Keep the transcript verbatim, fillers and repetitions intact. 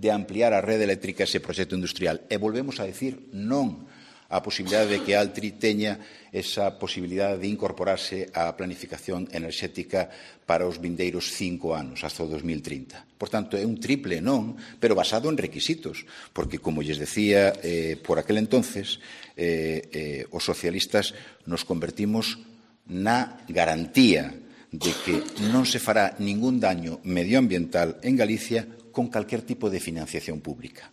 de ampliar a rede eléctrica ese proxecto industrial. E volvemos a decir non a posibilidade de que Altri teña esa posibilidade de incorporarse á planificación enerxética para os vindeiros cinco anos, hasta o dos mil trinta. Por tanto, é un triple non, pero basado en requisitos, porque, como lles decía eh, por aquel entonces, eh, eh, os socialistas nos convertimos na garantía de que non se fará ningún daño medioambiental en Galicia con calquer tipo de financiación pública.